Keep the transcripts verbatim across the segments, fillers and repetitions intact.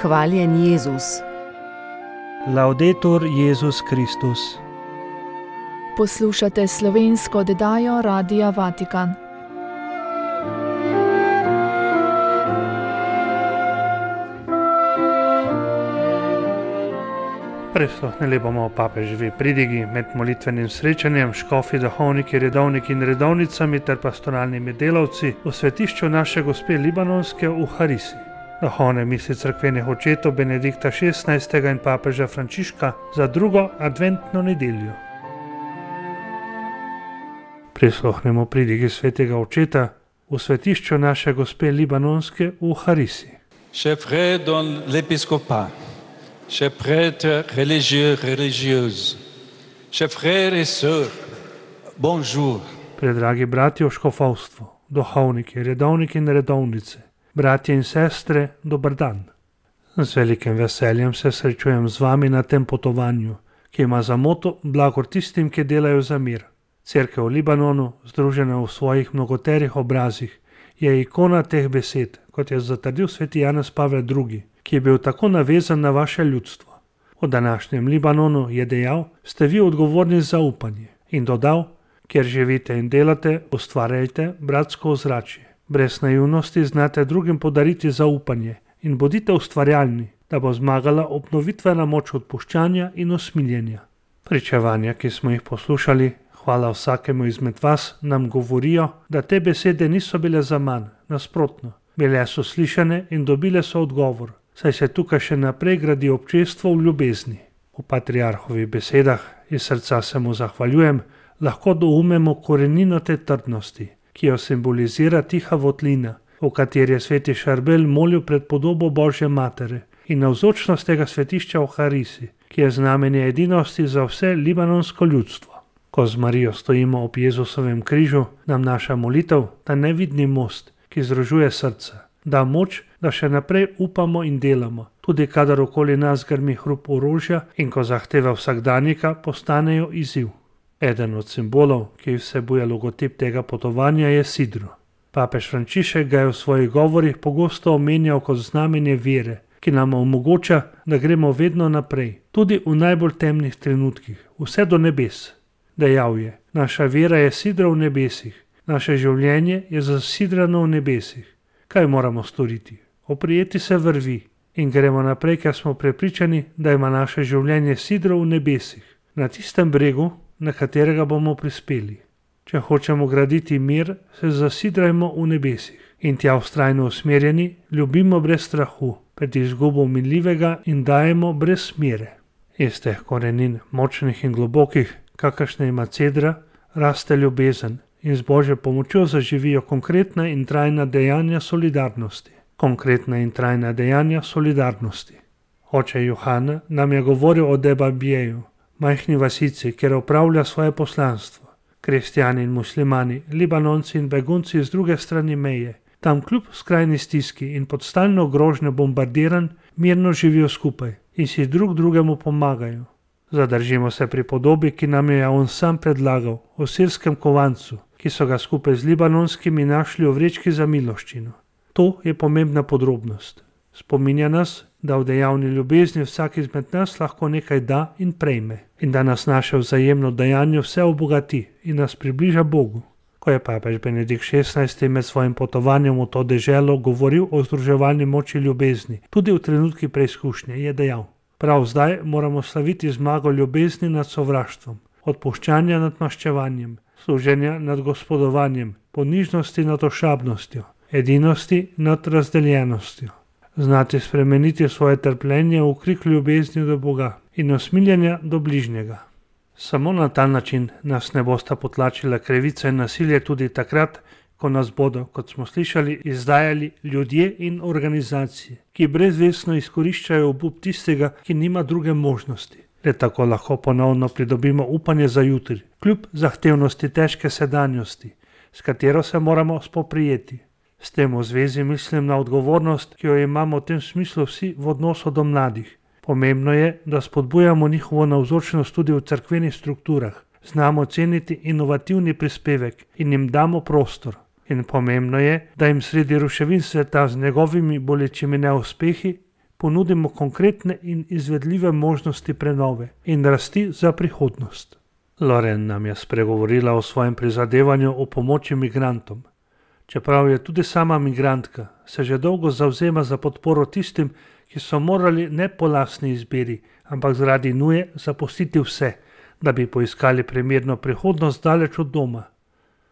Hvaljen Jezus. Laudetur Jezus Kristus. Poslušate slovensko oddajo Radia Vatikan. Prisluhnili bomo papeževi pridigi med molitvenim srečanjem, škofi, duhovniki, redovniki in redovnicami ter pastoralnimi delavci v svetišču naše gospe Libanonske v Harisi. Duhovne misli cerkvenih očetov Benedikta šestnajstega in papeža Frančiška za drugo adventno nedeljo. Prisluhnemo pridigi svetega očeta v svetišču naše gospe Libanonske v Harisi. Chers frères dans l'épiscopat, chers prêtres religieux, religieuses, chers frères et sœurs, bonjour. Predragi bratje v škofovstvu, duhovniki, redovniki in redovnice, bratje in sestre, dober dan. Z velikim veseljem se srečujem z vami na tem potovanju, ki ima za moto blagor tistim, ki delajo za mir. Cerkev v Libanonu, združena v svojih mnogoterih obrazih, je ikona teh besed, kot je zatrdil sveti Janez Pavel drugi, ki je bil tako navezan na vaše ljudstvo. V današnjem Libanonu je dejal, ste vi odgovorni za upanje, in dodal, kjer živite in delate, ustvarjajte bratsko ozračje. Brez naivnosti znate drugim podariti zaupanje in bodite ustvarjalni, da bo zmagala obnovitvena moč odpuščanja in usmiljenja. Pričevanja, ki smo jih poslušali, hvala vsakemu izmed vas, nam govorijo, da te besede niso bile za manj, nasprotno. Bile so slišane in dobile so odgovor, saj se tukaj še naprej gradi občestvo v ljubezni. V patriarhovih besedah, iz srca se mu zahvaljujem, lahko doumemo korenino te trdnosti, ki jo simbolizira tiha votlina, v kateri je sveti Šarbel molil pred podobo Božje matere in navzočnost tega svetišča v Harisi, ki je znamenje edinosti za vse libanonsko ljudstvo. Ko z Marijo stojimo ob Jezusovem križu, nam naša molitev, ta nevidni most, ki združuje srca, da moč, da še naprej upamo in delamo, tudi kadar okoli nas grmi hrup orožja in ko zahteve vsakdanjika postanejo izziv. Eden od simbolov, ki vsebuje logotip tega potovanja, je sidro. Papež Frančišek ga je v svojih govorih pogosto omenjal kot znamenje vere, ki nam omogoča, da gremo vedno naprej, tudi v najbolj temnih trenutkih, vse do nebes. Dejal je, naša vera je sidra v nebesih, naše življenje je zasidrano v nebesih. Kaj moramo storiti? Oprijeti se vrvi in gremo naprej, ker smo prepričani, da ima naše življenje sidro v nebesih, na tistem bregu, na katerega bomo prispeli. Če hočemo graditi mir, se zasidrajmo v nebesih in tja vztrajno usmerjeni, ljubimo brez strahu, pred izgubo minljivega in dajemo brez smere. Iz teh korenin, močnih in globokih, kakršne ima cedra, raste ljubezen in z Božjo pomočjo zaživijo konkretna in trajna dejanja solidarnosti. Konkretna in trajna dejanja solidarnosti. Oče Johana nam je govoril o Debabjeju, majhni vasici, kjer opravlja svoje poslanstvo. Kristjani in muslimani, Libanonci in begunci z druge strani meje, tam kljub skrajni stiski in pod stalno grožnjo bombardiranj mirno živijo skupaj in si drug drugemu pomagajo. Zadržimo se pri podobi, ki nam je on sam predlagal, o sirskem kovancu, ki so ga skupaj z libanonskimi našli v vrečki za miloščino. To je pomembna podrobnost. Spominja nas, da v dejavni ljubezni vsak izmed nas lahko nekaj da in prejme in da nas naše vzajemno dejanje vse obogati in nas približa Bogu. Ko je papež Benedikt šestnajsti med svojim potovanjem v to deželo govoril o združevalni moči ljubezni, tudi v trenutki preizkušnje, je dejal: prav zdaj moramo slaviti zmago ljubezni nad sovraštvom, odpuščanja nad maščevanjem, služenja nad gospodovanjem, ponižnosti nad ošabnostjo, edinosti nad razdeljenostjo. Znati spremeniti svoje trpljenje v krik ljubezni do Boga in usmiljenja do bližnjega. Samo na ta način nas ne bosta potlačila krivica in nasilje tudi takrat, ko nas bodo, kot smo slišali, izdajali ljudje in organizacije, ki brezvestno izkoriščajo obup tistega, ki nima druge možnosti. Le tako lahko ponovno pridobimo upanje za jutri, kljub zahtevnosti težke sedanjosti, s katero se moramo spoprijeti. S tem v zvezi mislim na odgovornost, ki jo imamo v tem smislu vsi v odnosu do mladih. Pomembno je, da spodbujamo njihovo navzočnost tudi v cerkvenih strukturah, znamo ceniti inovativni prispevek in jim damo prostor. In pomembno je, da jim sredi ruševin sveta z njegovimi bolečimi neuspehi ponudimo konkretne in izvedljive možnosti prenove in rasti za prihodnost. Loren nam je spregovorila o svojem prizadevanju o pomoči migrantom. Čeprav je tudi sama migrantka, se že dolgo zavzema za podporo tistim, ki so morali ne po lastni izbiri, ampak zaradi nuje zapustiti vse, da bi poiskali primerno prihodnost daleč od doma.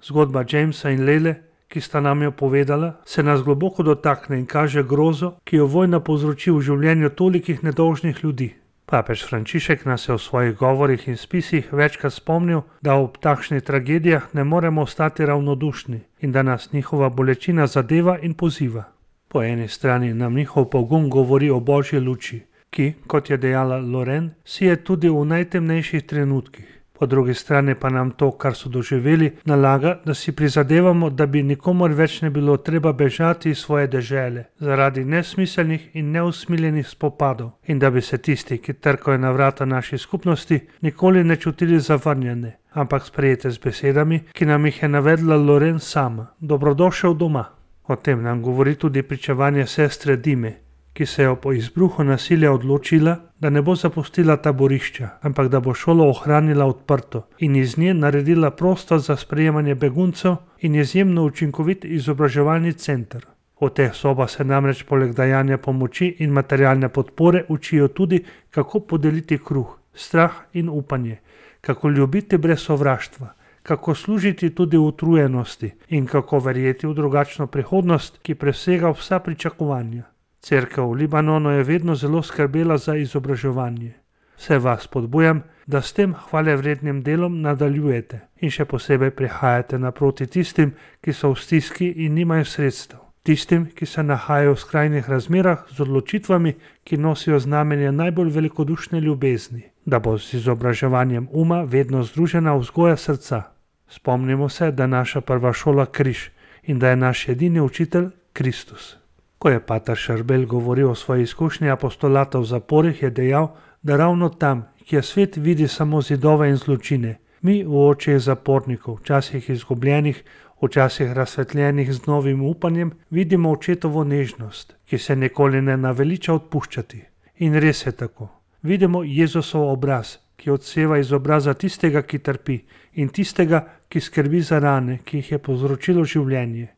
Zgodba Jamesa in Lele, ki sta nam jo povedala, se nas globoko dotakne in kaže grozo, ki jo vojna povzroči v življenju tolikih nedolžnih ljudi. Papež Frančišek nas je v svojih govorih in spisih večkrat spomnil, da ob takšnih tragedijah ne moremo ostati ravnodušni in da nas njihova bolečina zadeva in poziva. Po eni strani nam njihov pogum govori o božji luči, ki, kot je dejala Loren, sije tudi v najtemnejših trenutkih. Po drugi strani pa nam to, kar so doživeli, nalaga, da si prizadevamo, da bi nikomor več ne bilo treba bežati iz svoje dežele zaradi nesmiselnih in neusmiljenih spopadov in da bi se tisti, ki trkajo na vrata naši skupnosti, nikoli ne čutili zavrnjene, ampak sprejete z besedami, ki nam jih je navedla Loren sama. Dobrodošel doma. O tem nam govori tudi pričevanje sestre Dime, ki se je po izbruhu nasilja odločila, da ne bo zapustila taborišča, ampak da bo šolo ohranila odprto in iz nje naredila prostor za sprejemanje beguncev in izjemno učinkovit izobraževalni center. V teh sobah se namreč poleg dajanja pomoči in materialne podpore učijo tudi, kako podeliti kruh, strah in upanje, kako ljubiti brez sovraštva, kako služiti tudi v utrujenosti in kako verjeti v drugačno prihodnost, ki presega vsa pričakovanja. Cerkev v Libanonu je vedno zelo skrbela za izobraževanje. Vse vas spodbujam, da s tem hvalevrednim delom nadaljujete in še posebej prihajate naproti tistim, ki so v stiski in nimajo sredstev. Tistim, ki se nahajajo v skrajnih razmerah z odločitvami, ki nosijo znamenje najbolj velikodušne ljubezni, da bo z izobraževanjem uma vedno združena vzgoja srca. Spomnimo se, da je naša prva šola križ in da je naš edini učitelj Kristus. Ko je pater Šarbel govoril o svoji izkušnji apostolata v zaporih, je dejal, da ravno tam, kjer svet vidi samo zidove in zločine, mi v očeh zapornikov, včasih izgubljenih, včasih razsvetljenih z novim upanjem, vidimo očetovo nežnost, ki se nikoli ne naveliča odpuščati. In res je tako. Vidimo Jezusov obraz, ki odseva iz obraza tistega, ki trpi, in tistega, ki skrbi za rane, ki jih je povzročilo življenje.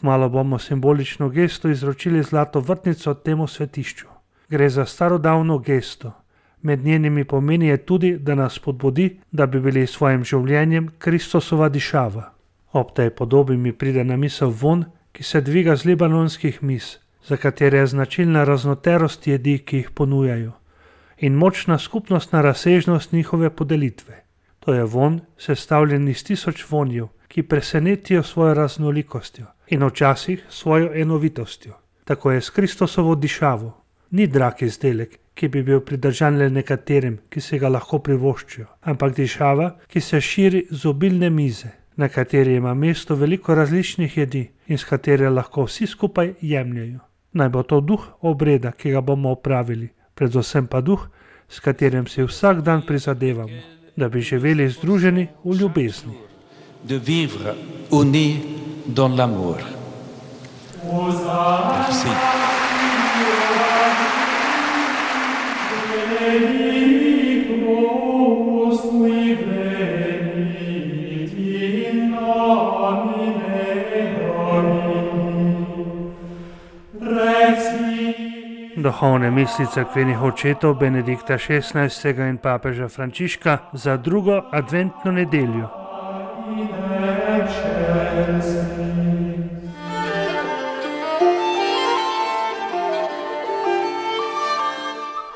Malo bomo simbolično gesto izročili zlato vrtnico temu svetišču. Gre za starodavno gesto. Med njenimi pomeni je tudi, da nas spodbudi, da bi bili s svojim življenjem Kristusova dišava. Ob tej podobi mi pride na misel vonj, ki se dviga z libanonskih miz, za katere je značilna raznoterost jedi, ki jih ponujajo, in močna skupnostna razsežnost njihove podelitve. To je vonj, sestavljen iz tisoč vonjev, ki presenetijo svojo raznolikostjo in včasih svojo enovitostjo. Tako je s Kristusovo dišavo. Ni drag izdelek, ki bi bil pridržan le nekaterim, ki si ga lahko privoščijo, ampak dišava, ki se širi z obilne mize, na kateri ima mesto veliko različnih jedi in s katere lahko vsi skupaj jemljajo. Naj bo to duh obreda, ki ga bomo opravili, predvsem pa duh, s katerim si vsak dan prizadevamo, da bi živeli združeni v ljubezni. De vivre unis dans l'amour. Merci. Duhovne misli cerkvenih očetov Benedikta šestnajstega in papeža Frančiška za drugo adventno nedeljo.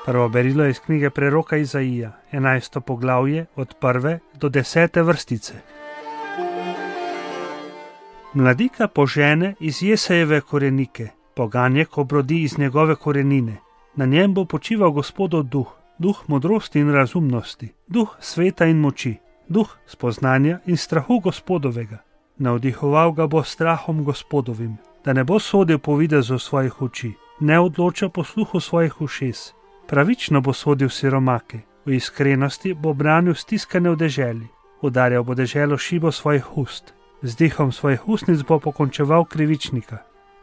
Prvo berilo je iz knjige preroka Izaija, enajsto poglavje od prve do desete vrstice. Mladika požene iz Jesejeve korenike, poganjek obrodi iz njegove korenine. Na njem bo počival Gospodov duh, duh modrosti in razumnosti, duh sveta in moči, duh spoznanja in strahu Gospodovega. Navdihoval ga bo strahom Gospodovim, da ne bo sodil po videzu svojih oči, ne odloča po sluhu svojih ušes. Pravično bo sodil siromake, v iskrenosti bo branil stiskane v deželi, udarjal bo deželo šibo svojih ust, z dihom svojih ustnic bo pokončeval krivičnika.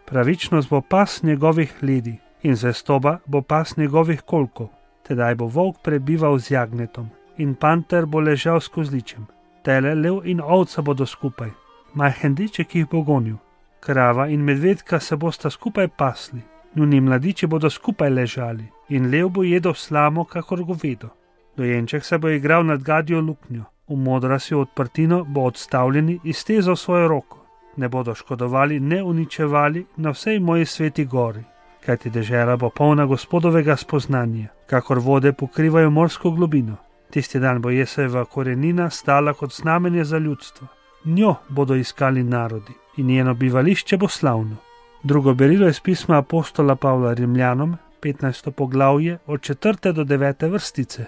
Pravičnost bo pas njegovih ledi in zvestoba bo pas njegovih kolkov. Tedaj bo volk prebival z jagnetom in panter bo ležal s kozličem. Tele, lev in ovca bodo skupaj, majhen deček jih bo gonil. Krava in medvedka se bosta skupaj pasli, njuni mladiči bodo skupaj ležali in lev bo jedel slamo kakor govedo. Dojenček se bo igral nad gadjo luknjo, v modrasjo odprtino bo odstavljeni iztezal svojo roko. Ne bodo škodovali, ne uničevali na vsej moji sveti gori, kajti dežela bo polna Gospodovega spoznanja, kakor vode pokrivajo morsko globino. Tisti dan bo Jesejeva korenina stala kot znamenje za ljudstvo. Njo bodo iskali narodi in njeno bivališče bo slavno. Drugo berilo iz pisma apostola Pavla Rimljanom, petnajsto poglavje, od četrte do devete vrstice.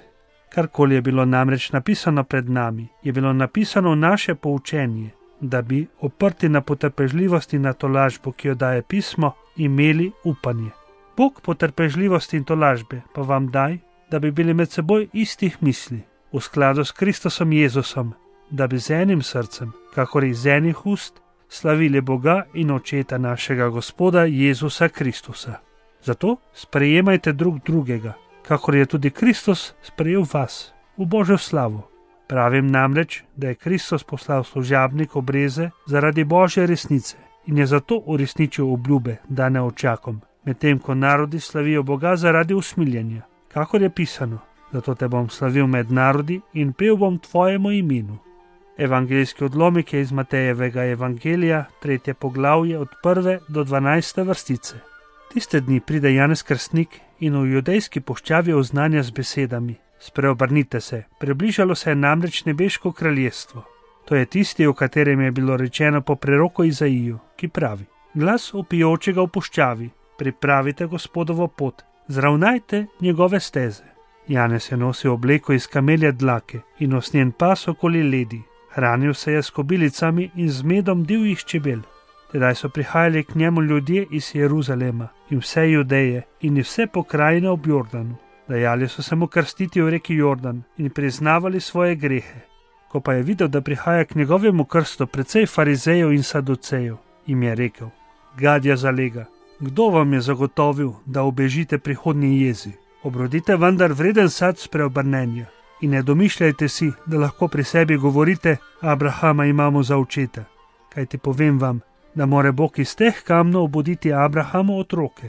Karkoli je bilo namreč napisano pred nami, je bilo napisano v naše poučenje, da bi, oprti na potrpežljivost in na tolažbo, ki jo daje pismo, imeli upanje. Bog potrpežljivosti in tolažbe pa vam daj, da bi bili med seboj istih misli, v skladu s Kristusom Jezusom, da bi z enim srcem, kakor iz enih ust, slavili Boga in Očeta našega Gospoda Jezusa Kristusa. Zato sprejemajte drug drugega, kakor je tudi Kristus sprejel vas, v Božjo slavo. Pravim namreč, da je Kristus poslal služabnik obreze zaradi Božje resnice in je zato uresničil obljube, dane očakom, medtem ko narodi slavijo Boga zaradi usmiljenja. Kakor je pisano, zato te bom slavil med narodi in pel bom tvojemu imenu. Evangelijski odlomek je iz Matejevega evangelija, tretje poglavje od prve do dvanajste vrstice. Tiste dni pride Janez Krstnik in v judejski puščavi oznanja z besedami: Spreobrnite se, približalo se je namreč nebeško kraljestvo. To je tisti, o katerem je bilo rečeno po preroku Izaiju, ki pravi: Glas vpijočega v puščavi, pripravite Gospodovo pot, zravnajte njegove steze. Janez je nosil obleko iz kamelje dlake in usnjen pas okoli ledi. Hranil se je s kobilicami in z medom divjih čebel. Tedaj so prihajali k njemu ljudje iz Jeruzalema in vse Judeje in iz vse pokrajine ob Jordanu. Dajali so se mu krstiti v reki Jordan in priznavali svoje grehe. Ko pa je videl, da prihaja k njegovemu krstu precej farizejev in saducejev, jim je rekel: Gadja zalega, kdo vam je zagotovil, da ubežite prihodnji jezi? Obrodite vendar vreden sad spreobrnenja in ne domišljajte si, da lahko pri sebi govorite: Abrahama imamo za očeta. Kajti povem vam, da more Bog iz teh kamnov obuditi Abrahamu otroke.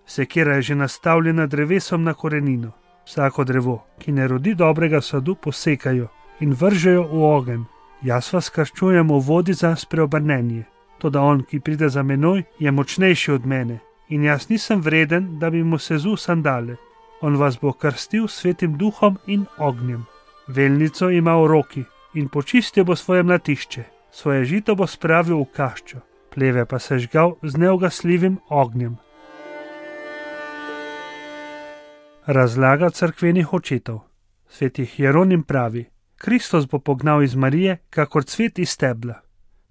Sekira je že nastavljena drevesom na korenino. Vsako drevo, ki ne rodi dobrega sadu, posekajo in vržejo v ogenj. Jaz vas krščujem v vodi za spreobrnenje. Toda on, ki pride za menoj, je močnejši od mene in jaz nisem vreden, da bi mu sezul sandale. On vas bo krstil svetim duhom in ognjem. Velnico ima v roki in počistil bo svoje mlatišče. Svoje žito bo spravil v kaščo, pleve pa sežgal z neugasljivim ognjem. Razlaga cerkvenih očetov. Sveti Hieronim pravi: Kristus bo pognal iz Marije kakor cvet iz stebla.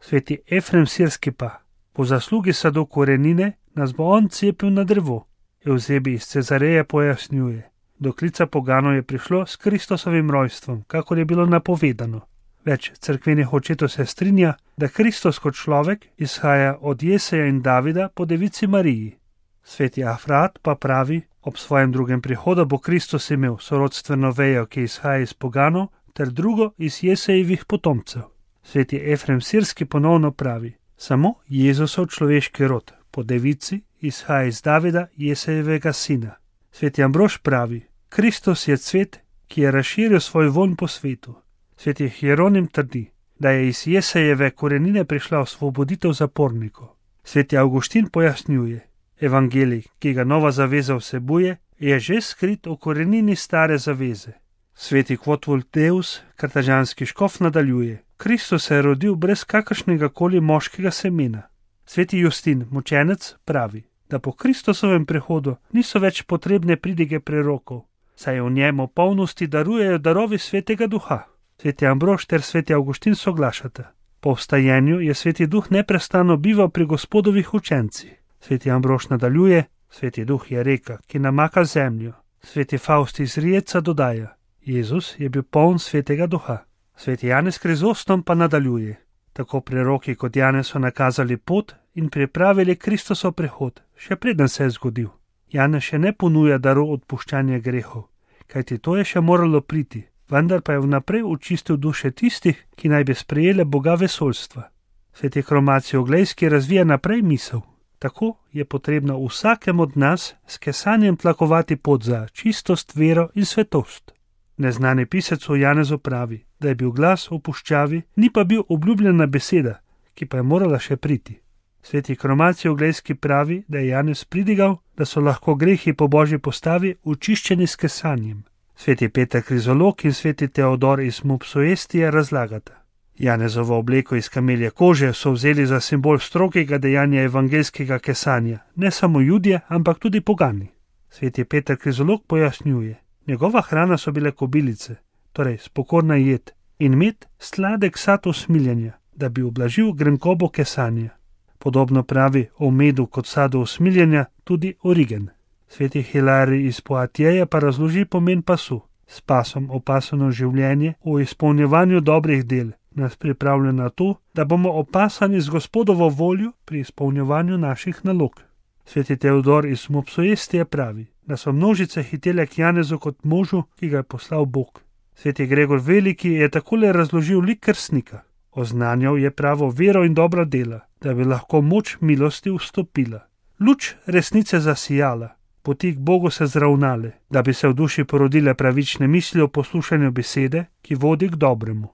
Sveti Efrem Sirski pa: po zaslugi sadu korenine nas bo on cepil na drevo. Evzebi iz Cezareje pojasnjuje: do klica poganov je prišlo s Kristusovim rojstvom, kakor je bilo napovedano. Več cerkvenih očetov se strinja, da Kristus kot človek izhaja od Jeseja in Davida po devici Mariji. Sveti Afrat pa pravi: ob svojem drugem prihodu bo Kristus imel sorodstveno vejo, ki izhaja iz poganov, ter drugo iz Jesejevih potomcev. Sveti Efrem Sirski ponovno pravi: samo Jezusov človeški rod po devici izhaja iz Davida, Jesejevega sina. Sveti Ambrož pravi: Kristus je cvet, ki je razširil svoj vonj po svetu. Sveti Hieronim trdi, da je iz Jesejeve korenine prišla osvoboditev zapornikov. Sveti Avguštin pojasnjuje: evangelij, ki ga nova zaveza vsebuje, je že skrit v korenini stare zaveze. Sveti Quotvul Deus, kartažanski škof, nadaljuje: Kristus se je rodil brez kakršnega koli moškega semena. Sveti Justin, mučenec, pravi, da po Kristusovem prihodu niso več potrebne pridige prerokov, saj v njem v polnosti darujejo darovi svetega duha. Sveti Ambrož ter sveti Avguštin soglašata: po vstajenju je sveti duh neprestano bival pri Gospodovih učencih. Sveti Ambrož nadaljuje: sveti duh je reka, ki namaka zemljo. Sveti Faust iz Rijeca dodaja: Jezus je bil poln svetega duha. Sveti Janez Krizostom pa nadaljuje: tako preroki kot Janez so nakazali pot in pripravili Kristusov prihod, še preden se je zgodil. Janez še ne ponuja darov odpuščanja grehov, kajti to je še moralo priti, vendar pa je vnaprej očistil duše tistih, ki naj bi sprejele Boga vesoljstva. Sveti Hromatij Oglejski razvija naprej misel. Tako je potrebno vsakem od nas s kesanjem tlakovati pot za čistost, vero in svetost. Neznani pisec o Janezu pravi, da je bil glas v puščavi, ni pa bil obljubljena beseda, ki pa je morala še priti. Sveti Hromatij Oglejski pravi, da je Janez pridigal, da so lahko grehi po božji postavi očiščeni s kesanjem. Sveti Peter Krizolog in sveti Teodor iz Mopsuestije razlagata. Janezovo obleko iz kamelje kože so vzeli za simbol strogega dejanja evangelskega kesanja, ne samo Judje, ampak tudi pogani. Sveti Peter Krizolog pojasnjuje, njegova hrana so bile kobilice, torej spokorna jed, in med sladek sad usmiljenja, da bi ublažil grenkobo kesanja. Podobno pravi o medu kot sadu usmiljenja tudi Origen. Sveti Hilarij iz Poatjeja pa razloži pomen pasu. S pasom opasano življenje v izpolnjevanju dobrih del nas pripravlja na to, da bomo opasani z Gospodovo voljo pri izpolnjevanju naših nalog. Sveti Teodor iz Mopsuestije pravi, da so množice hitele k Janezu kot možu, ki ga je poslal Bog. Sveti Gregor Veliki je takole razložil lik krstnika. Oznanjal je pravo vero in dobra dela, da bi lahko moč milosti vstopila. Luč resnice zasijala, poti k Bogu se zravnale, da bi se v duši porodile pravične misli o poslušanju besede, ki vodi k dobremu.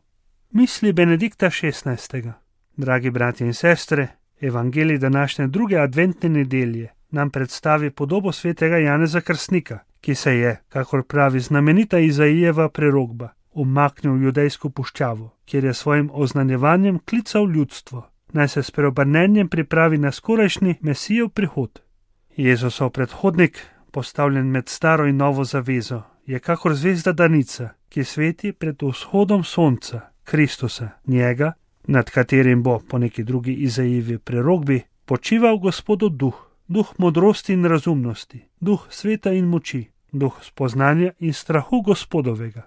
Misli Benedikta šestnajstega. Dragi bratje in sestre, evangelij današnje druge adventne nedelje nam predstavi podobo svetega Janeza Krstnika, ki se je, kakor pravi znamenita Izaijeva prerokba, umaknil v judejsko puščavo, kjer je svojim oznanjevanjem klical ljudstvo, naj se s preobrnenjem pripravi na skorajšnji Mesijev prihod. Jezusov predhodnik, postavljen med staro in novo zavezo, je kakor zvezda danica, ki sveti pred vzhodom sonca, Kristusa, njega, nad katerim bo, po neki drugi Izaijevi prerokbi, počival Gospodov duh, duh modrosti in razumnosti, duh sveta in moči, duh spoznanja in strahu Gospodovega.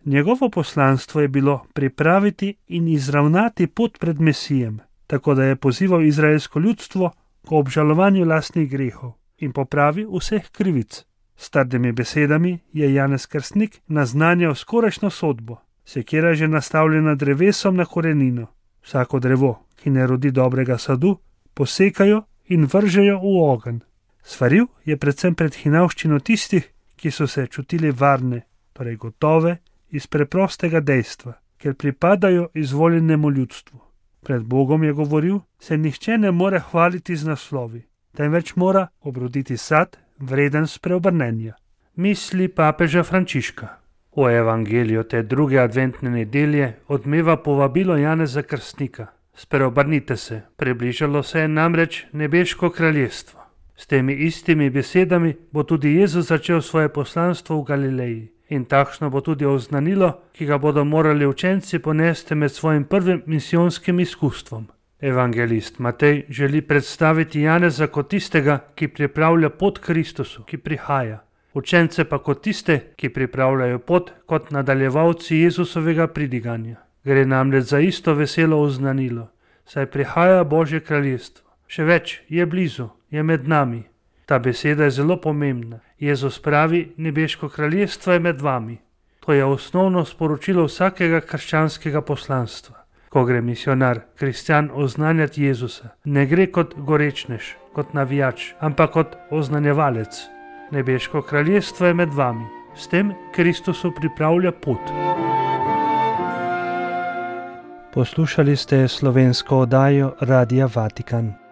Njegovo poslanstvo je bilo pripraviti in izravnati pot pred Mesijem, tako da je pozival izraelsko ljudstvo k obžalovanju lastnih grehov in popravi vseh krivic. S trdimi besedami je Janez Krstnik naznanjal skorajšnjo sodbo, sekira že nastavljena drevesom na korenino. Vsako drevo, ki ne rodi dobrega sadu, posekajo in vržejo v ogenj. Svaril je predvsem pred hinavščino tistih, ki so se čutili varne, torej gotove, iz preprostega dejstva, ker pripadajo izvoljenemu ljudstvu. Pred Bogom je govoril, se nihče ne more hvaliti z naslovi, temveč mora obroditi sad, vreden spreobrnenja. Misli papeža Frančiška. V evangeliju te druge adventne nedelje odmeva povabilo Janeza Krstnika. Spreobrnite se, približalo se je namreč nebeško kraljestvo. S temi istimi besedami bo tudi Jezus začel svoje poslanstvo v Galileji. In takšno bo tudi oznanilo, ki ga bodo morali učenci ponesti med svojim prvim misijonskim izkustvom. Evangelist Matej želi predstaviti Janeza kot tistega, ki pripravlja pot Kristusu, ki prihaja. Učence pa kot tiste, ki pripravljajo pot kot nadaljevalci Jezusovega pridiganja. Gre namreč za isto veselo oznanilo, saj prihaja Božje kraljestvo. Še več, je blizu, je med nami. Ta beseda je zelo pomembna. Jezus pravi, nebeško kraljestvo je med vami. To je osnovno sporočilo vsakega krščanskega poslanstva. Ko gre misionar, kristjan oznanjati Jezusa, ne gre kot gorečnež, kot navijač, ampak kot oznanjevalec. Nebeško kraljestvo je med vami. S tem Kristusu pripravlja pot. Poslušali ste slovensko oddajo Radia Vatikan.